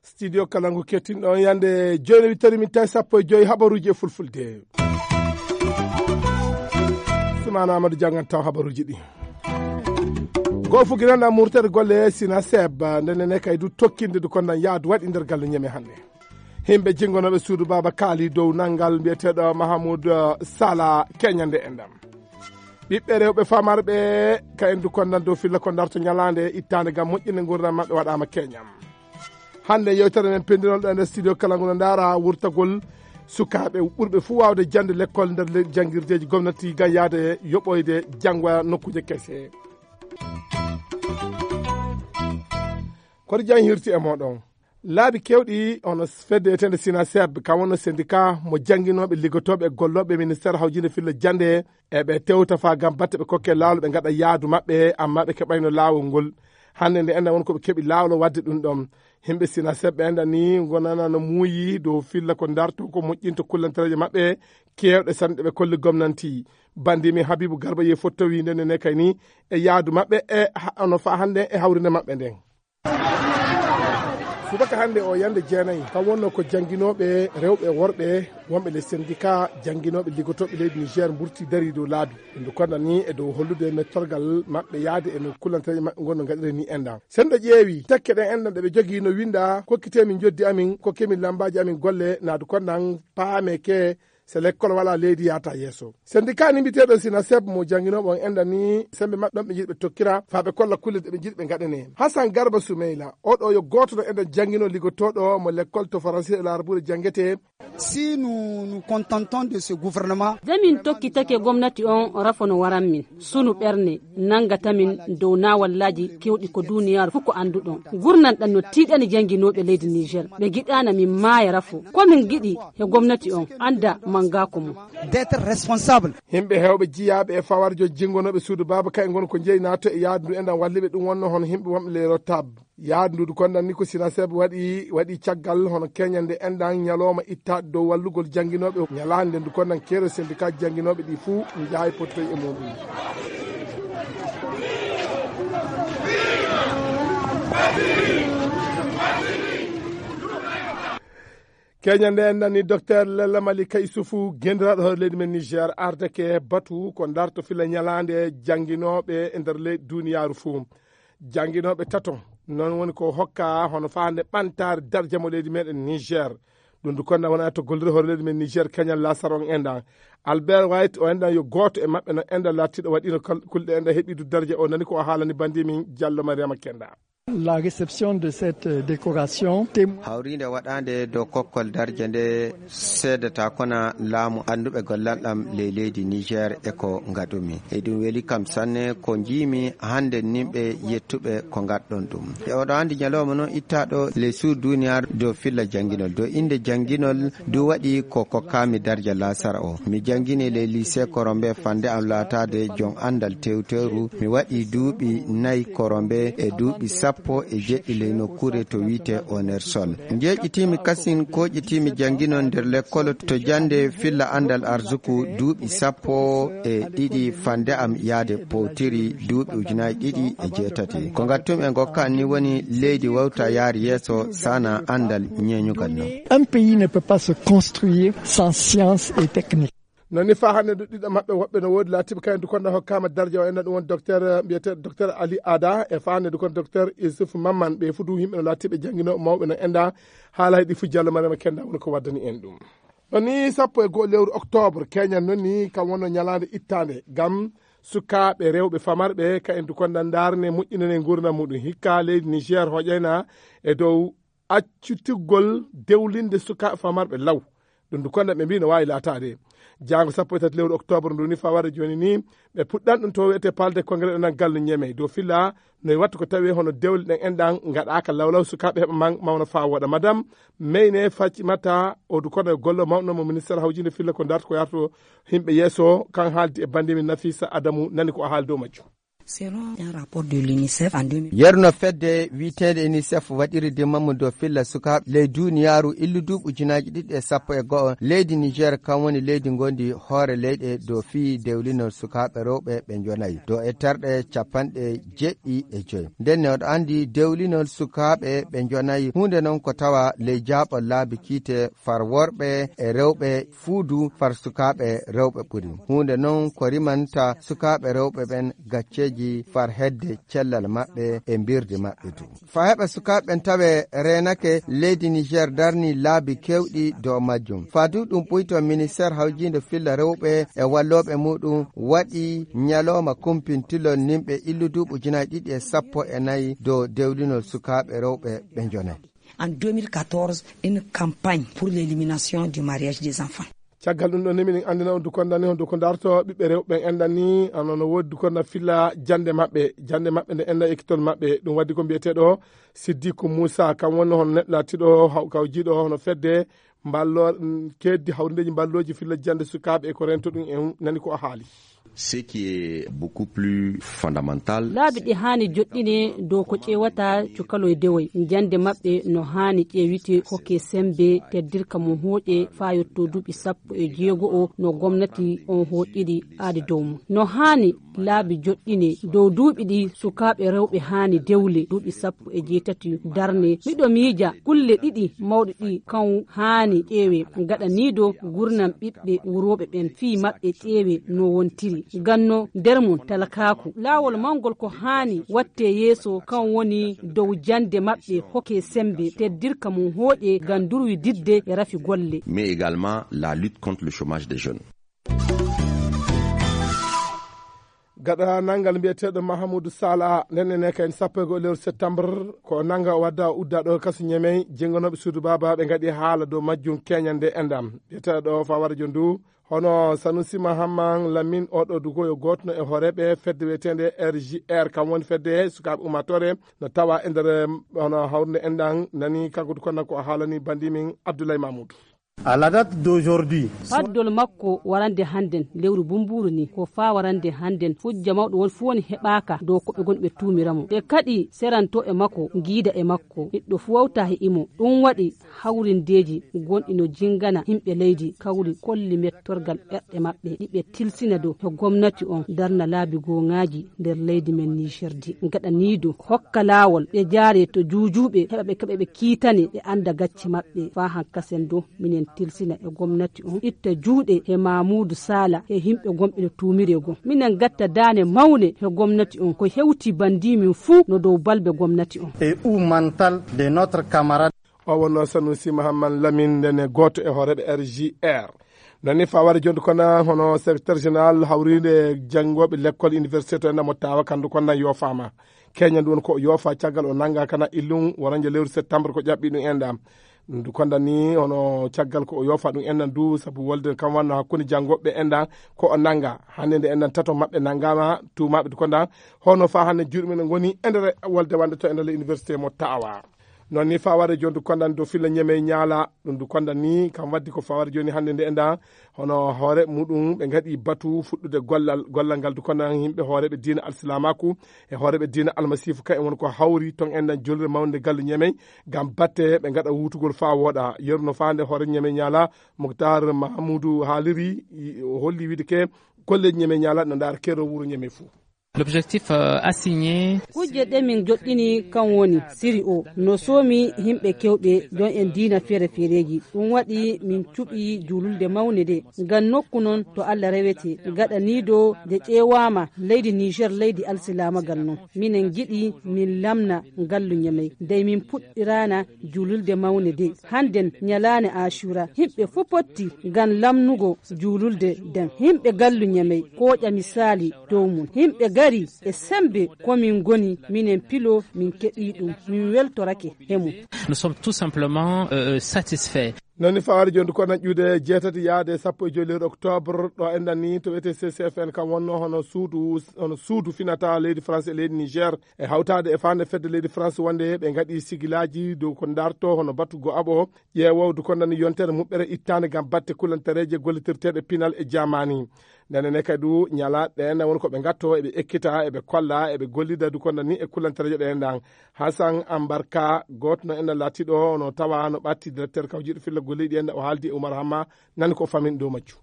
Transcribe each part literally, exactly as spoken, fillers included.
Studio Kalangu kettinɗo on yande joyno wittori min tawi sappo e joyi habaruji e fulfulde. Sumana Amadou Diangan taw habaruji ɗi. Go fuginana murtere golle sina seb ndene ne kay du tokkinde du kondan yaadu waɗi nder gallu ñeme hannde. Himɓe jingonoɓe suudu baba kaali dow nangal mbiyeteɗo Mahamoud Sala keñande e ndam. Ɓiɓɓe rewɓe famarɓe ka en du kondan dow filla ko darto ñalande ittande gam moƴƴinde ngurdam maɓɓe waɗama keñam. Hannde yewtere men pendinol ɗo e nder studio kala ngo no ndaara wurtagol sukaaɓe ɓurɓe fuu waawde jannde lekkol nder le- janngirdeeji gomnati ngam yahde yoɓoyde janngoya nokkuuje kese. Koto jam hirti e mooɗon. Laabi keewɗi hono fedde etende sina seb kam wonno syndicat mo jannginooɓe liggotooɓe e gollooɓe e ministeer hawjinde filla jannde e ɓe tewta faa ngam batte ɓe kokke laawol ɓe ngaɗa yaadu maɓɓe amma ɓe keɓayno laawol ngol. Hannde nde enɗan won ko ɓe keɓi laawol o waɗde ɗum ɗoon. Himɓe sina seɓɓe enɗan ni ngonana no muuyi dow filla ko darto ko moƴƴinta kullantereeje maɓɓe keewɗe sanɗe ɓe kolli gomnanti. Banndi min Habibu Garba ye fotto wiinde nene kay ni e yaadu maɓɓe e ha- no faa hannde e hawrinde maɓɓe nden. Subaka hannde o yande jeenayi kam wonno ko jannginooɓe rewɓe e worɓe wonɓe les syndicats jannginooɓe liggotooɓe leydi Niger mburti dari dow laabi. Ɗum ndu konda ni e dow hollude mettorgal maɓɓe yaade e no kullantereeje maɓɓe ngonno ngaɗire ni enɗan. Sen ɗo ƴeewi tekke ɗen enɗan ɗe ɓe jogii no winda kokkitee min joddi amin kokkee min lambaaji amin golle naadu kondan paameke se lekkol wala leydi yaata yeeso. Syndicat ni mbiteeɗo sina seb mo jannginooɓe on enɗan ni sembe maɓɓe ɗon ɓe njiɗi ɓe tokkira faa ɓe kolla kulle ɗe ɓe njiɗi ɓe ngaɗanee. Hasan Garba Sumeyla oɗo yo gooto ɗo enɗan janngino liggotooɗo mo lekkol to Faransi e laarbuure janngetee. Si nous nous contentons de ce gouvernement, de min tokkitake gomnati on rafo no waran min sunu ɓerne nangata min dow nawallaaji kewɗi ko duniyaaru fof ko annduɗon. Gurnanɗan no tiiɗani jannginooɓe leydi Niger ɓe ngiɗaana min maaya rafo ko min ngiɗi he gomnati on annda manngaako mum. D'être responsable. Himɓe hewɓe jiyaaɓe e fawarjo jingonooɓe suudu baaba kay ngon ko jeyi nato e yaadu ndu enɗan walliɓe ɗum wonno hono himɓe wonɓe les rotables. Yaadu ndu kondan ni ko sina seb waɗi waɗi caggal hono keñande enɗan ñalooma ittaade dow wallugol jannginooɓe ñalaande ndu kondan keero syndicat jannginooɓe ɗi fuu njaayi pottoy e muɗum. Keñande en nani docteur Lella Malika Isufu gendiraaɗo hoore leydi men Niger ardeke batu ko darto fila ñalaande jannginooɓe e nder leydi duniyaaru fuu. Jannginooɓe tato non woni ko hokka hono faande ɓantaare darja mo leydi meɗen Niger. Ɗum du konda wona to gollude hoore leydi men Niger keñal lasar on enɗan. Albert White o enɗan yo gooto e maɓɓe no enɗan lattiɗo waɗino kal- kulɗe enɗan heɓidu darja o nani ko o haalani bandi min Diallo Mariama Kenda. La réception de cette euh, décoration témoigne. Hawrinde waɗande dow kokkol darje nde seedata kona laamu annduɓe gollanɗam ley leydi Niger e ko ngaɗumi. Eɗum weli kam sanne ko njiimi hannde nimɓe yettuɓe ko ngaɗɗon ɗum. E oɗo anndi ñalawma noon ittaɗo les sourds duniyaaru dow filla jannginol. Dow innde jannginol du waɗi ko kokkaami darja laasara o. Mi janngini ley lycée Korombe fannde am laataade joom anndal tewteeru. Mi waɗi duuɓi nayi Korombe e duuɓi sappo e jeɗɗi ley nokkuure to wiyetee Onersol. Njeeƴitiimi kasin kooƴitiimi jannginol nder lekkol to jannde filla anndal arsuku duuɓi sappo e ɗiɗi fannde am yahde powtiri duuɓi ujunaaji ɗiɗi e jeetati. Ko ngattum e ngokka ni woni leydi wawta yaari yeeso sana anndal ñeeñugal non. Un pays ne peut pas se construire sans science et technique. Non ni faa hannde du ɗiɗo maɓɓe woɓɓe no woodi laatiiɓe kayen du konda hokkaama darja o enna ɗum won docteur mbiyeteeɗo docteur Ali Ada e faa hannde du kon docteur Yusuf Mamman ɓe fuu du yimɓe no laatiiɓe jannginooɓe mawɓe no enda haala heɗi fuu Diallo Mariama Kenda woni ko waddani en ɗum. Non ni sappo e go'o lewru octobre keñan non ni kam wonno ñalaande ittaande ngam sukaaɓe rewɓe famarɓe kayen du konda ndaarne moƴƴinane nguurndam muɗum hikka leydi Niger hoƴayna e dow accutugol dewlinde sukaaɓe famarɓe law. Ɗum du konda ɓe mbii no waawi laataade jaango sappo e tati lewru octobre ndu ni faa warde jooni ni ɓe puɗɗan ɗum to wiyetee palde congrès ɗo nan gallu ñeme dow filla no e wattu ko tawi hono dewle ɗen enɗan ngaɗaaka lawlaw sukaaɓe heɓa man mawna faa wooɗa madam meyne faccimata o du kono e gollo mawɗo mo ministére hawjinde filla ko darta ko yarto himɓe yeeso kan haaldi e bannde min Nafisa Adamu nani ko o haali dow majjum. Selon un rapport de l'UNICEF en deux mille. Yerno fedde wiyeteende UNICEF waɗiri dimmamu dow filla sukaaɓe ley duniyaaru illu duuɓi ujunaaji ɗiɗi e sappo e go'o. Leydi Niger kam woni leydi ngondi hoore leyɗe dow fii dewlinol sukaaɓe rewɓe ɓe njonayi dow e terɗe capanɗe jeeɗiɗi e joy. Nden ne oɗo anndi dewlinol sukaaɓe ɓe njonayi huunde non ko tawa ley jaaɓol laabi kiite far worɓe e rewɓe fuudu far sukaaɓe rewɓe ɓuri. Huunde non ko rimanta sukaaɓe rewɓe ɓen gacceeji far hedde cellal maɓɓe e mbirdi maɓɓe du. Faa heɓa sukaaɓe ɓen tawe reenake, leydi Niger darni laabi keewɗi dow majjum. Faa du ɗum ɓuyto, ministeer hawjiinde filla rewɓe e wallooɓe muuɗum waɗi ñalooma kumpintilol nimɓe illu duuɓi ujunaaji ɗiɗi e sappo e nayi dow dewlinol sukaaɓe rewɓe ɓe njonay. En deux mille quatorze, une campagne pour l'élimination du mariage des enfants. Caggal ɗum ɗon, ni miɗen anndina on dukonda ni, honduko darto ɓiɓɓe rewɓe ɓen enɗan ni, ano no woodi dukonda filla jannde maɓɓe, jannde maɓɓe nde enɗan ekkitol maɓɓe. Ɗum waddi ko mbiyeteeɗo Siddiku Muusa, kam woni hono neɗɗo laatiiɗo haw-, kawjiiɗo hono fedde mballo-, mm, keeddi hawrindeeji mballooji filla jannde sukaaɓe e ko rento ɗum en nani ko o haali. Ce qui est beaucoup plus fondamental. Laabi ɗi haani joɗɗine dow ko ƴeewata cukaloy dewoy. Jannde maɓɓe no haani ƴeewite, hokke semmbe, teddirka mum hooƴe faa yotto duuɓi sappo e jeego o no gomnati on hooƴiri aadi dow mum. No haani laabi joɗɗine dow duuɓi ɗi sukaaɓe rewɓe haani dewle, duuɓi sappo e jeetati darne. Miɗo miija kulle ɗiɗi mawɗe ɗi kan haani ƴeewe, gaɗa nii do gurnam ɓiɓɓe wurooɓe ɓen fii maɓɓe ƴeewe no wontiri. Ganno nder mum talakaaku. Laawol mawngol ko haani wattee yeeso kan woni dow jannde maɓɓe hokke semmbe, teddirka mum hooƴe ngam durwi didde e rafi golle. Mais également la lutte contre le chômage des jeunes. Gaɗa nanngal mbiyeteeɗo Mahamudu Sala, nden ene kayen sappo e go'o lewru septembre, ko nannga o wadda o udda ɗo kasu Ñemey, jennganooɓe suudu baaba ɓe ngaɗi haala dow majjum keñande enɗam. Mbiyeteeɗo Fawara Jondu, hono Sanusi Mahamman Lamin, oɗo dugo yo gooto no e hooreeɓe fedde wiyeteende R J R, kam woni fedde sukaaɓe ummaatoore, no tawa e nder, hono hawrunde enɗam, nani kanko du kono ko o haalani bandi min Abdoulaye Mamoudou. À la date d'aujourd'hui. Paddol makko warande hannden, lewru bumbuuru ni, ko faa warande hannden, hujja mawɗo won fuu woni heɓaaka dow ko ɓe ngoni ɓe tuumira mo. Ɓe kadi seranto e makko, ngiida e makko, neɗɗo fuu wawta he imo. Ɗum waɗi hawrindeeji gonɗi no jingana yimɓe leydi kawri kolli mettorgal ɓerɗe maɓɓe, ɗi ɓe tilsina dow he gomnati on darna laabi gooŋaaji nder leydi men Niger di. Gaɗa nii dow hokka laawol ɓe jaare to juujuuɓe heɓa ɓe keɓa ɓe kiitane ɓe annda gacce maɓɓe. Faa hankasen dow minen tilsina e gomnati on itta juuɗe he Mamuudu Saala he yimɓe gonɓe no tuumire goo. Minen gatta daane mawne he gomnati on ko hewti bandii min fuu no dow balbe gomnati on. Et ou mental de notre camarade. O wonno Sanusi Mahamman Lamin ndene gooto e hooreeɓe R J R. Nani faware jonde kono hono secrétaire général hawriinde janngooɓe lekkol université to enɗam mo tawa kandu kono nan yoofaama. Keña ndu won ko o yoofa caggal o nannga kana illum woranje lewru septembre ko ƴaɓɓi ɗum enɗam. Ndu konda ni hono caggal ko o yoofa ɗum enɗam du sabu wolde kam wanno hakkunde janngooɓe enɗam ko o nannga. Hannde nde enɗam tato maɓɓe nanngaama tuumaaɓe du konda hono faa hannde juuɗe men ngoni e nder wolde wande to e nder université mo tawa. Noon ni faware jooni du konda ni do filla ñeme ñaala ɗum du konda ni kam waddi ko faware jooni hannde nde enɗam. Hono hoore muɗum ɓe ngaɗi batu fuɗɗude gollal, gollal ngal du kono yimɓe hooreeɓe diina alsilaamaaku e hooreeɓe diina almasiifu ka en woni ko hawri ton enɗan julde mawnde gallu ñemey ngam batte ɓe ngaɗa wuutugol faa wooɗa. Yeru no faande hoore ñemey ñaala Muktar Mahamudu haaliri, o holli wiide ke kolleeji ñemey ñaala no ndaara kero wuro ñemey fuu. L'objectif, euh, assigné. Kujje ɗe min joɗɗini kan woni siri o no soomi yimɓe kewɓe jon en diina feere feereeji. Ɗum waɗi min cuɓi juululde mawnde nde ngam nokku noon to Allah rewete gaɗa nii do nde ƴeewaama leydi Niger leydi alsilaamagal noon. Minen ngiɗi min lamna ngallu ñamey dey min puɗɗiraana juululde mawnde de. Hannden ñalaande Acuura, yimɓe fuu potti ngam lamnugo juululde nden. Yimɓe gallu ñamey kooƴa misaali dow mum. Yimɓe gari e semmbe ko min ngoni, minen pilo min keɓii ɗum, min weltorake he mum. Nous sommes tout simplement, euh, satisfaits. Noon ni fawaade jooni ko nan ƴuude jeetati yaade sappo e joy lewru octobre ɗo enɗan ni to wiyetee C C F N kam wonno hono suudu, hono suudu finata leydi France e leydi Niger e hawtaade e faande fedde leydi France wonde ɓe ngaɗi sigilaaji dow ko ndarto hono batu go aɓo ƴeewowdu ko nan yontere muɓɓere ittaande ngam batte kulantareeje gollitirteeɗe pinal e jamaani. Ndeen ne kadi du ñalaaɗe ɗeen woni ko ɓe ngatto eɓe ekkita eɓe kolla eɓe gollida du ko nan ni e kulantareeje ɗeen ɗan. Hasan Ambarka gooto no enɗan laatiiɗo no tawa no ɓatti directeur kawjiiɗo filla golliɗi en o haaldi e Umar Hamma. Nani ko famin dow majju.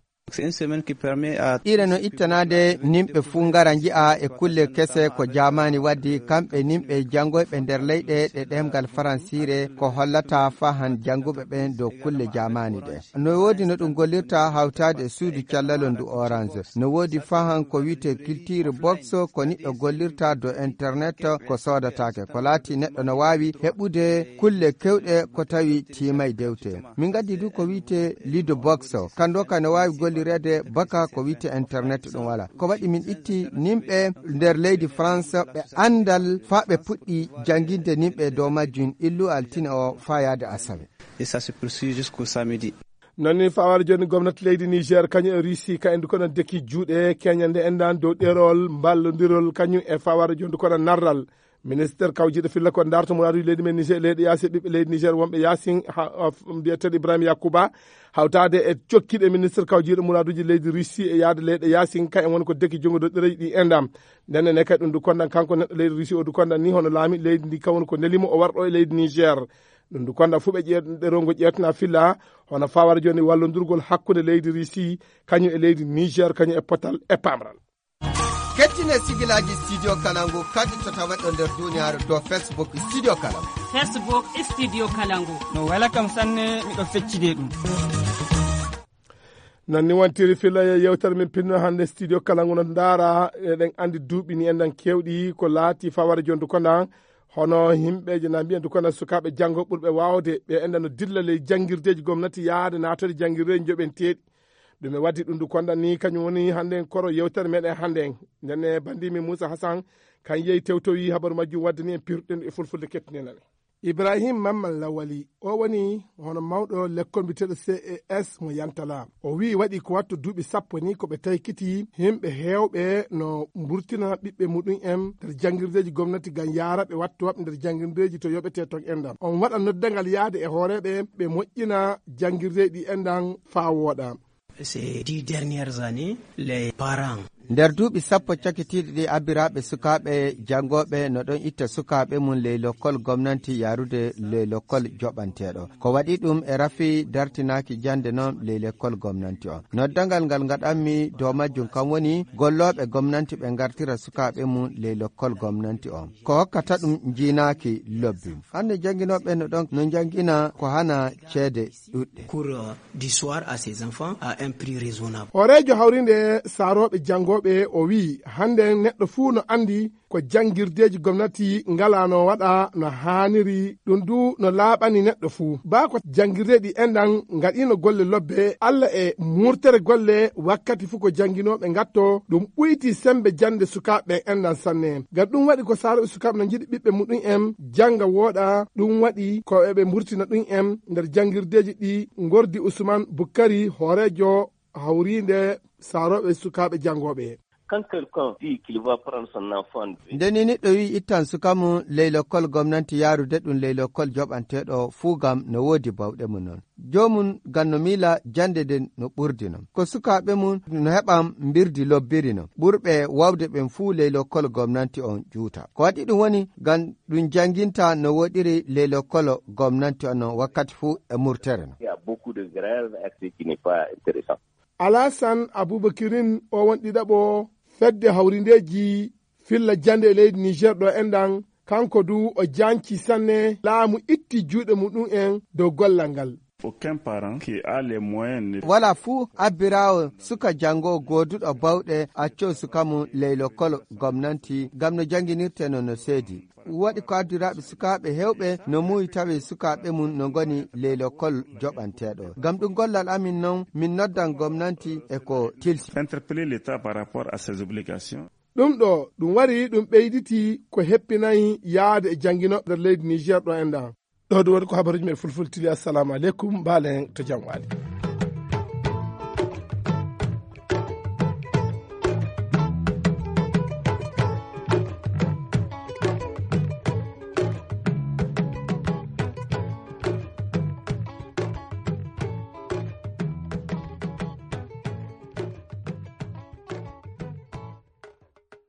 Ire no ittanaade nimɓe fuu ngara nji'a e kulle kese ko jaamaani waddi kamɓe nimɓe janngoyɓe nder leyɗe ɗe ɗemngal faransiire ko hollata fahan jannguɓe ɓen dow kulle jaamaani ɗe. No woodi no ɗum gollirta hawtaade e suudu callalo ndu orange. No woodi fahan ko wiyetee culture box ko niɗɗo gollirta dow internet ko soodataake ko laati neɗɗo no waawi heɓude kulle kewɗe ko tawi tiimay dewte. Min ngaddi du ko wiyetee lido box o kanndo ka no waawi gollireede baka ko wiyetee internet ɗum wala ko waɗi min itti nimɓe nder leydi France ɓe anndal faa ɓe puɗɗi jannginde nimɓe dow majjum illu altine o faa yaade asawe. Et ça se poursuit jusqu'au samedi. Noon ni fawaade jooni gomnati leydi Niger kañum e Russie ka endu kono deki juuɗe keñande endan dow ɗerol mballondirol kañum e fawaade jooni kono narral. Minister kawjiiɗo filla ko darto muraaduji leydi men Niger leyɗe yaasi e ɓiɓɓe leydi Niger wonɓe yaasin mbiyeteeɗo Ibrahima Yakuba hawtaade e cokkiiɗo minister kawjiiɗo muraaduji leydi Russie e yaade leyɗe yaasin ka en woni ko deki junngo dow ɗereji ɗi endam. Ndenne ne kadi ɗum du kondan kanko neɗɗo leydi Russie o du kondan ni hono laami leydi ndi kawon ko nelimo o warɗo e leydi Niger. Ɗum du kondan fu ɓe ƴeeɗe rongo ƴeetana filla hono fawara jooni wallondirgol hakkunde leydi Russie kañum e leydi Niger kañum e potal e pamral. Kettine sigilaaji Studio Kalangu kaɗitota waɗo nder duniyaaru dow Facebook Studio Kalangu. Facebook Studio Kalangu. No wela kam sanne miɗo feccide ɗum. Noon ni wontiri filla e yewtere men pinno hannde Studio Kalangu no ndaara eɗen anndi duuɓi ni enɗan keewɗi ko laati fawara jondu kondan hono yimɓeeje na mbiya ndu kondan sukaaɓe janngo ɓurɓe waawde ɓe enɗan no dilla ley janngirdeeji gomnati yahde naatode janngirdeeji njoɓenteeɗi. Ɗum e waddi ɗum ndu kondan ni kañum woni hannde en koro yewtere meɗen hannde en. Ndenne banndimi Moussa Hassan kan yehi tewtowi habaru majjum wadde ni en pirɗen e fulfulde kettinenane. Ibrahim Mamman Lawali o woni hono mawɗo lekkol mbiyeteeɗo C E S mo Yantala. O wi'i waɗi ko wattu duuɓi sappo ni ko ɓe taykiti yimɓe heewɓe no mburtina ɓiɓɓe muɗum en nder janngirdeeji gomnati ngam yaara ɓe wattu waɓ nder janngirdeeji to yoɓetee ton enɗan. On waɗa noddangal yahde e hooreeɓe ɓe moƴƴina janngirdeeji ɗi enɗan faa wooɗa. Ces dix dernières années, les parents. Nder duuɓi sappo cakitiiɗi ɗi abbiraaɓe sukaaɓe janngooɓe no ɗon itta sukaaɓe mum ley lokkol gomnanti yaarude ley lokkol joɓanteeɗo. Ko waɗi ɗum e rafi dartinaaki jannde noon ley lokkol gomnanti on. Noddangal ngal ngaɗanmi dow majjum kam woni gollooɓe gomnanti ɓe ngartira sukaaɓe mum ley lokkol gomnanti on. Ko hokkata ɗum njiinaaki lobbi. Hannde jannginooɓe no ɗon no njanngina ko hana ceede ɗuɗɗe. Cours du soir à ses enfants à un prix raisonnable. Hooreejo hawrinde saarooɓe janngooɓe o wi'i hannden neɗɗo fuu no anndi ko janngirdeeji gomnati ngalaa no waɗa no haaniri ɗum du no laaɓani neɗɗo fuu. Baa ko janngirdeeji enɗan ngaɗiino golle lobbe Alla e murtere golle wakkati fuu ko jannginooɓe ngatto ɗum ɓuyti semmbe jannde sukaaɓe ɓen enɗan sanne. Ngam ɗum waɗi ko saarooɓe sukaaɓe no njiɗi ɓiɓɓe muɗum en jannga wooɗa ɗum waɗi ko eɓe mburtina ɗum en nder janngirdeeji ɗi ngordi Usman Bukkari hooreejo hawriinde saarooɓe sukaaɓe janngooɓe. Quand quelqu'un dit qu'il va prendre son enfant. Nde ni neɗɗo wi'i ittan suka mum ley lokkol gomnanti yaarude ɗum ley lokkol joɓanteeɗo fuu gam no woodi bawɗe mum noon. Joomum gam no miila jannde nden no ɓurdi noon. Ko sukaaɓe mum no heɓan mbirdi lobbiri noon. Ɓurɓe waawde ɓen fuu ley lokkol gomnanti on juuta. Ko waɗi ɗum woni gam ɗum jannginta no woɗiri ley lokkol gomnanti on noon wakkati fuu e murtere noon. Il y a beaucoup de grèves, et cetera, qui n'est pas intéressant. Alasan Abubakirin o won ɗiɗaɓo fedde hawrindeeji filla jannde e leydi Niger ɗo enɗan, kanko du o jaanci sanne laamu itti juuɗe muɗum en dow gollal ngal. Aucun parent qui a les moyens ne. Wala fuu abbiraawo suka janngo gooduɗo bawɗe accoo suka mum ley lokkol gomnanti ngam no jannginirtee no no seedi. Waɗi ko addiraaɓe sukaaɓe heewɓe no muuyi tawi sukaaɓe mum no ngoni ley lokkol joɓanteeɗo. Ngam ɗum gollal amin noon min noddan gomnanti e ko tilsi. Interpeller l'État par rapport à ses obligations. Ɗum ɗo ɗum wari ɗum ɓeyditi ko heppinayi yahde e jannginooɓe nder leydi Niger ɗo enɗan. Ɗo ɗum woni ko habaruji men fulfultili. Assalamu aleykum, mbaalen to jam waali.